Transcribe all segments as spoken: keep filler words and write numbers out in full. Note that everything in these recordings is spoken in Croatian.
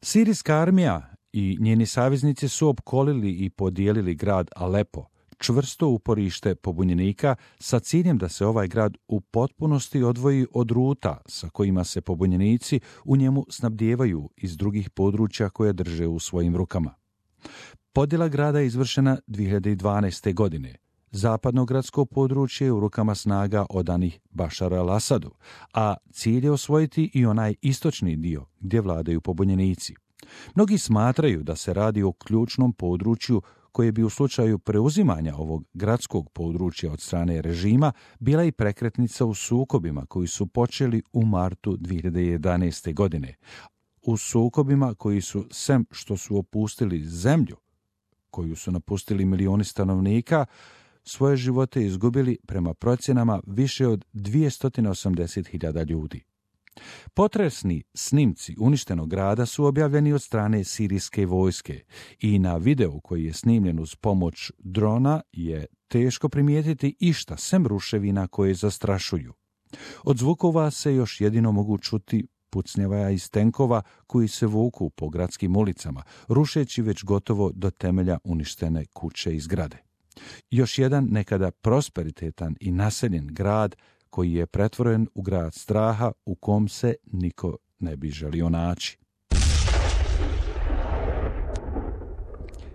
Sirijska armija i njeni saveznici su opkolili i podijelili grad Alepo, čvrsto uporište pobunjenika, sa ciljem da se ovaj grad u potpunosti odvoji od ruta sa kojima se pobunjenici u njemu snabdijevaju iz drugih područja koje drže u svojim rukama. Podjela grada je izvršena dvije hiljade dvanaeste. godine. Zapadno gradsko područje je u rukama snaga odanih Bašaru al-Asadu, a cilj je osvojiti i onaj istočni dio gdje vladaju pobunjenici. Mnogi smatraju da se radi o ključnom području koje bi u slučaju preuzimanja ovog gradskog područja od strane režima bila i prekretnica u sukobima koji su počeli u martu dvije hiljade jedanaeste. godine. U sukobima koji su, sem što su opustili zemlju, koju su napustili milioni stanovnika, svoje živote izgubili prema procjenama više od dvjesto osamdeset hiljada ljudi. Potresni snimci uništenog grada su objavljeni od strane sirijske vojske i na videu koji je snimljen uz pomoć drona je teško primijetiti išta sem ruševina koje zastrašuju. Od zvukova se još jedino mogu čuti pucnjava iz tenkova koji se vuku po gradskim ulicama, rušeći već gotovo do temelja uništene kuće i zgrade. Još jedan nekada prosperitetan i naseljen grad koji je pretvoren u grad straha u kom se niko ne bi želio naći.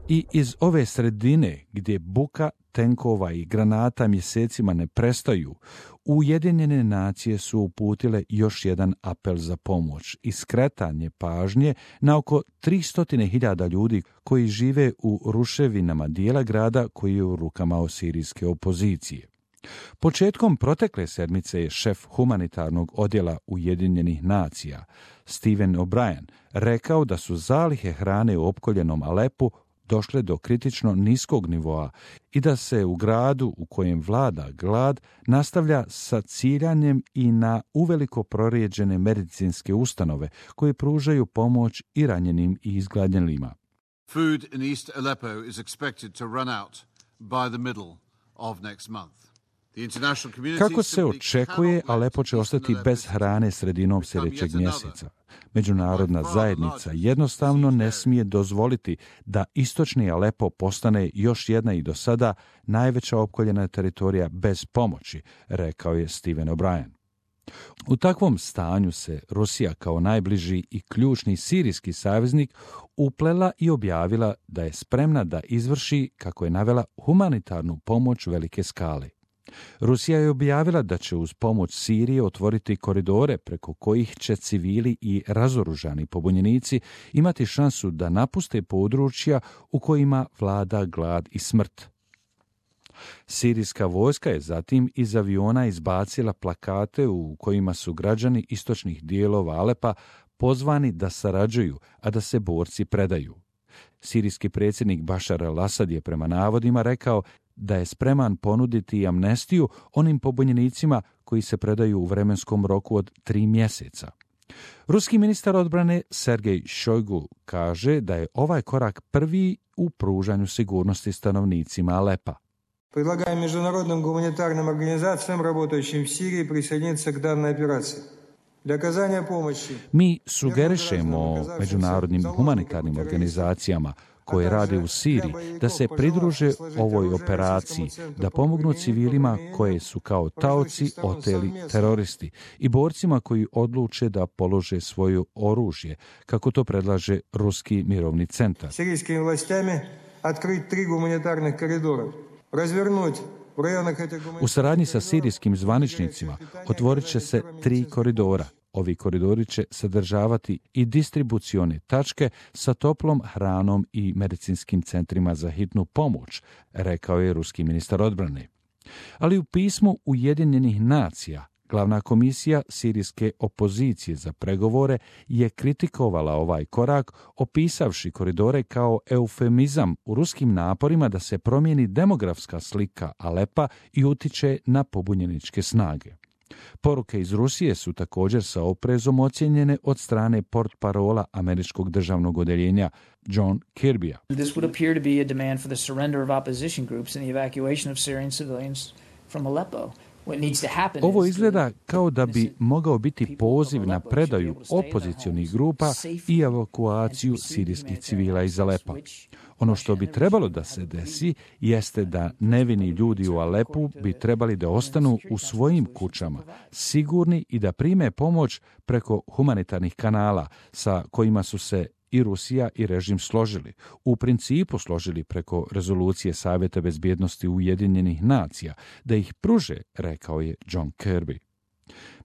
I iz ove sredine gdje buka tenkova i granata mjesecima ne prestaju, Ujedinjene nacije su uputile još jedan apel za pomoć i skretanje pažnje na oko tristo hiljada ljudi koji žive u ruševinama dijela grada koji je u rukama sirijske opozicije. Početkom protekle sedmice je šef humanitarnog odjela Ujedinjenih nacija, Stephen O'Brien, rekao da su zalihe hrane u opkoljenom Alepu došle do kritično niskog nivoa i da se u gradu u kojem vlada glad nastavlja sa ciljanjem i na uveliko prorijeđene medicinske ustanove koje pružaju pomoć i ranjenim i izgladnjelima. Food in East Aleppo is expected to run out by the middle of next month. Kako se očekuje, Alepo će ostati bez hrane sredinom sljedećeg mjeseca. Međunarodna zajednica jednostavno ne smije dozvoliti da istočni Alepo postane još jedna i do sada najveća opkoljena teritorija bez pomoći, rekao je Stephen O'Brien. U takvom stanju se Rusija kao najbliži i ključni sirijski saveznik uplela i objavila da je spremna da izvrši, kako je navela, humanitarnu pomoć velike skale. Rusija je objavila da će uz pomoć Sirije otvoriti koridore preko kojih će civili i razoružani pobunjenici imati šansu da napuste područja u kojima vlada glad i smrt. Sirijska vojska je zatim iz aviona izbacila plakate u kojima su građani istočnih dijelova Alepa pozvani da sarađuju, a da se borci predaju. Sirijski predsjednik Bašar al-Asad je prema navodima rekao da je spreman ponuditi amnestiju onim pobunjenicima koji se predaju u vremenskom roku od tri mjeseca. Ruski ministar odbrane Sergej Šojgu kaže da je ovaj korak prvi u pružanju sigurnosti stanovnicima Alepa. Предлагаем международным гуманитарным организациям, работающим в Сирии, присоединиться к данной операции. Mi sugerišemo međunarodnim humanitarnim organizacijama koje rade u Siriji da se pridruže ovoj operaciji, da pomognu civilima koje su kao taoci oteli teroristi i borcima koji odluče da polože svoje oružje, kako to predlaže Ruski mirovni centar. Sirijskim vlastima otkriti tri humanitarnih koridora, razvrnuti. U saradnji sa sirijskim zvaničnicima otvorit će se tri koridora. Ovi koridori će sadržavati i distribucione tačke sa toplom hranom i medicinskim centrima za hitnu pomoć, rekao je ruski ministar odbrane. Ali u pismu Ujedinjenih nacija Glavna komisija sirijske opozicije za pregovore je kritikovala ovaj korak, opisavši koridore kao eufemizam u ruskim naporima da se promijeni demografska slika Alepa i utiče na pobunjeničke snage. Poruke iz Rusije su također sa oprezom ocijenjene od strane portparola američkog državnog odeljenja John Kirbya. This would appear to be a demand for the surrender of opposition groups and the evacuation of Syrian civilians from Aleppo. Ovo izgleda kao da bi mogao biti poziv na predaju opozicionih grupa i evakuaciju sirijskih civila iz Alepa. Ono što bi trebalo da se desi jeste da nevini ljudi u Alepu bi trebali da ostanu u svojim kućama, sigurni i da prime pomoć preko humanitarnih kanala sa kojima su se i Rusija i režim složili. U principu složili preko rezolucije Savjeta bezbjednosti Ujedinjenih nacija, da ih pruže, rekao je John Kirby.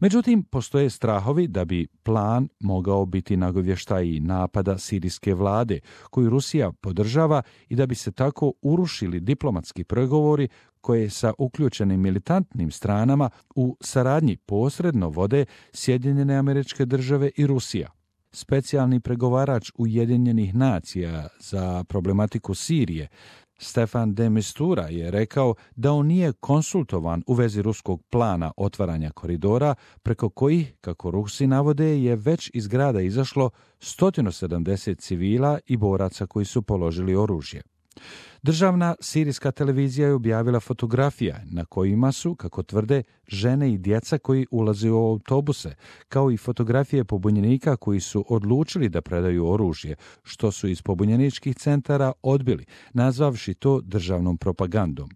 Međutim, postoje strahovi da bi plan mogao biti nagovještaj napada sirijske vlade, koju Rusija podržava, i da bi se tako urušili diplomatski pregovori koje sa uključenim militantnim stranama u saradnji posredno vode Sjedinjene Američke Države i Rusija. Specijalni pregovarač Ujedinjenih nacija za problematiku Sirije, Stefan de Mistura, je rekao da on nije konsultovan u vezi ruskog plana otvaranja koridora, preko kojih, kako Rusi navode, je već iz grada izašlo sto sedamdeset civila i boraca koji su položili oružje. Državna sirijska televizija je objavila fotografije na kojima su, kako tvrde, žene i djeca koji ulaze u autobuse, kao i fotografije pobunjenika koji su odlučili da predaju oružje, što su iz pobunjeničkih centara odbili, nazvavši to državnom propagandom.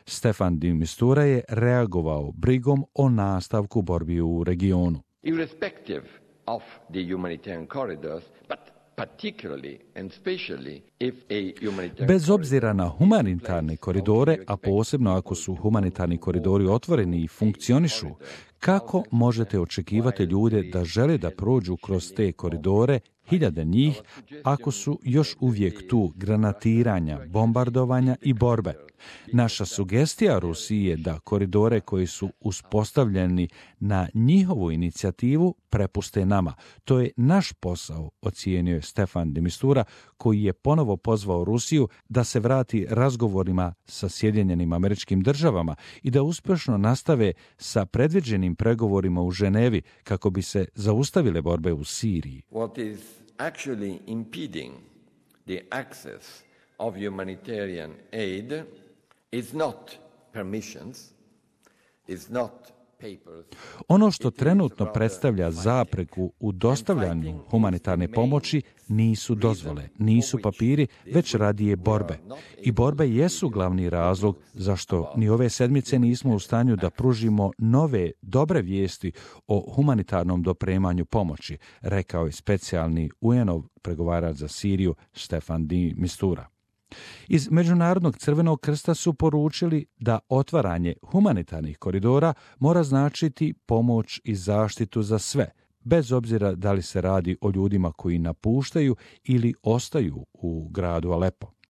Stefan de Mistura je reagovao brigom o nastavku borbi u regionu. Irrespective of the humanitarian corridors, but Bez obzira na humanitarne koridore, a posebno ako su humanitarni koridori otvoreni i funkcionišu, kako možete očekivati ljude da žele da prođu kroz te koridore, hiljade njih, ako su još uvijek tu granatiranja, bombardovanja i borbe? Naša sugestija Rusiji je da koridore koji su uspostavljeni na njihovu inicijativu prepuste nama. To je naš posao, ocijenio je Stefan de Mistura, koji je ponovo pozvao Rusiju da se vrati razgovorima sa Sjedinjenim Američkim Državama i da uspješno nastave sa predviđenim pregovorima u Ženevi kako bi se zaustavile borbe u Siriji. What is actually impeding the access of humanitarian aid is not permissions, is not papers. Ono što trenutno predstavlja zapreku u dostavljanju humanitarne pomoći nisu dozvole, nisu papiri, već radije borbe. I borbe jesu glavni razlog zašto ni ove sedmice nismo u stanju da pružimo nove, dobre vijesti o humanitarnom dopremanju pomoći, rekao je specijalni U N-ov pregovarač za Siriju Stefan de Mistura. Iz Međunarodnog crvenog krsta su poručili da otvaranje humanitarnih koridora mora značiti pomoć i zaštitu za sve, bez obzira da li se radi o ljudima koji napuštaju ili ostaju u gradu Alepo.